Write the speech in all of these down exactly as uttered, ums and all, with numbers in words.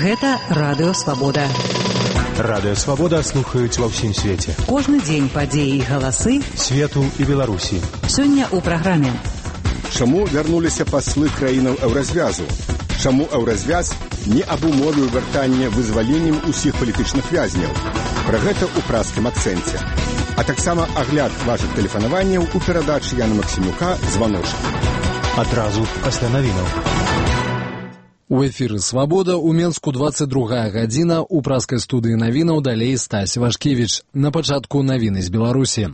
Гэта Радыё Свабода. Радыё Свабода слухаюць ва ўсім свеце. Кожны дзень падзеі і галасы свету і Беларусі. Сёння ў праграме. Чаму вярнуліся паслы краінаў еўразвязу? Чаму еўразвяз не абумовіў вяртання вызваленнем усіх палітычных вязняў? Пра гэта ў празкім акцэнце. А таксама агляд вашых тэлефанаванняў у перадачы Яна Максімюка «Званочак». Адразу пасля навінаў. У эфіры «Свабода» у Менску двадцать другая гадзіна, у праскай студыі навінаў далей Стась Вашкевіч. На пачатку навіны з Беларусі.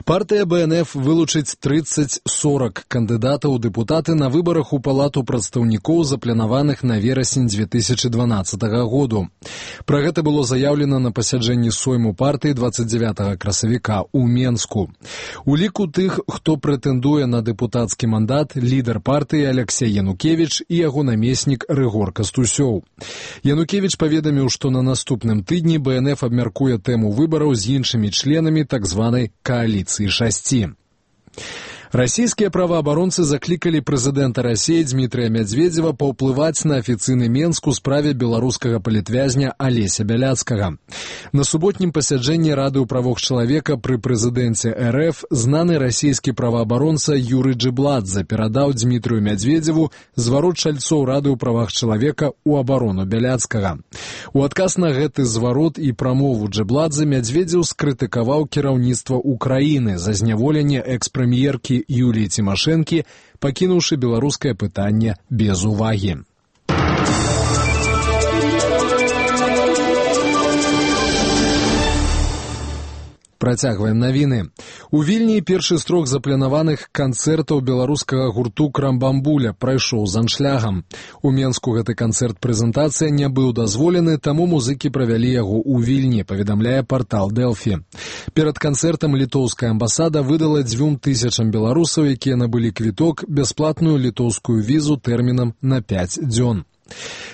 Партыя бэ эн эф вылучыць тридцать сорок кандыдатаў у дэпутаты на выбарах у Палату прадстаўнікоў, запланаваных на верасень две тысячи дванаццатага году. Пра гэта было заяўлена на пасяджэнні сойму партыі двадцать девятага красавіка у Менску. У ліку тых, хто прэтэндуе на дэпутацкі мандат, лідар партыі Алексей Янукевіч і яго намеснік Рыгор Кастусёў. Янукевіч паведаміў, што на наступным тыдні бэ эн эф абмяркуе тэму выбараў з іншымі членамі так званай кааліцыі шасці. Расійскія праваабаронцы заклікалі прэзідэнта Расіі Дмітрыя Мядзведзева паўплываць на афіцыйны Менск у справе беларускага палітвязня Алеся Бяляцкага. На суботнім пасяджэнні Рады ў правах чалавека пры прэзідэнце эр эф знаны расійскі праваабаронца Юрый Джибладзе перадаў Дмітрыю Мядзведзеву зварот чальцоў Рады ў правах чалавека ў абарону Бяляцкага. У адказ на гэты зварот і прамову Джибладзе Мядзведзеў скрытыкаваў кіраўніцтва Украіны за зняволенне экс-прэм'еркі Юліі Цімашэнкі, пакінуўшы беларускае пытанне без увагі. Працягваем навіны. У Вільні першы з трох запланаваных канцэртаў беларускага гурту «Крамбамбуля» прайшоў з аншлягам. У Менску гэты канцэрт-прэзентацыя не быў дазволены, таму музыкі правялі яго ў Вільні, паведамляе партал Дэлфі. Перад канцэртам літоўская амбасада выдала дзвюм тысячам беларусаў, якія набылі квіток, бясплатную літоўскую візу тэрмінам на пяць дзён.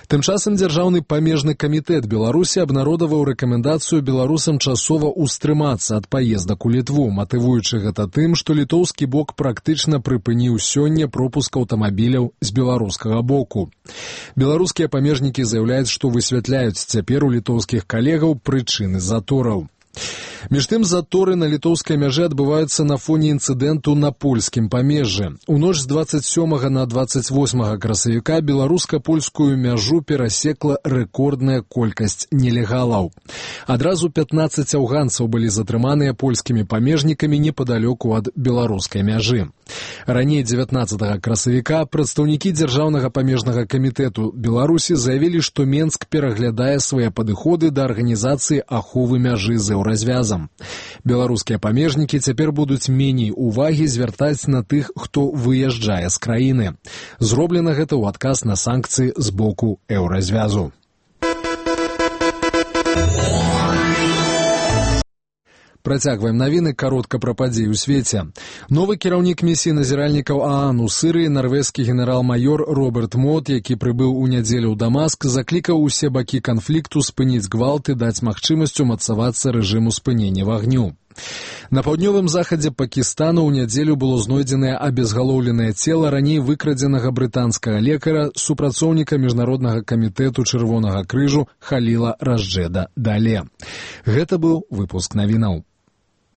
Тым часам дзяржаўны памежны камітэт Беларусі абнародаваў рэкамендацыю беларусам часова ўстрымацца ад паездак у Літву, матывуючы гэта тым, што літоўскі бок практычна прыпыніў сёння пропуск аўтамабіляў з беларускага боку. Беларускія памежнікі заяўляюць, што высвятляюць цяпер у літоўскіх калегаў прычыны затораў. Між тым, заторы на літоўскай мяжы адбываюцца на фоне інцыдэнту на польскім памежжы. У ноч з двадцать сёмага на двадцать восьмага красавіка беларуска-польскую мяжу перасекла рэкордная колькасць нелегалаў. Адразу пятнаццаць афганцаў былі затрыманыя польскімі памежнікамі непадалёку ад беларускай мяжы. Раней дзевятнаццатага красавіка прадстаўнікі дзяржаўнага памежнага камітэту Беларусі заявілі, што Менск пераглядае свае падыходы да арганізацыі аховы мяжы з еўразвязам. Беларускія памежнікі цяпер будуць меней увагі звяртаць на тых, хто выязджае з краіны. Зроблена гэта ў адказ на санкцыі з боку еўразвязу. Працягваем навіны каротка пра падзеі ў свеце. Новы кіраўнік місіі назіральнікаў ААН у Сырыі, нарвежскі генерал-майор Роберт Мот, які прыбыў у нядзелю ў Дамаск, заклікаў усе бакі канфлікту спыніць гвалт і даць магчымасць умацавацца рэжыму спынення вагню. На паўднёвым захадзе Пакістану ў нядзелю было знойдзенае абезгалоўленае цела раней выкрадзенага брытанскага лекара, супрацоўніка міжнароднага камітэту Чырвонага крыжу Халіла Ражджеда Дале. Гэта быў выпуск навінаў.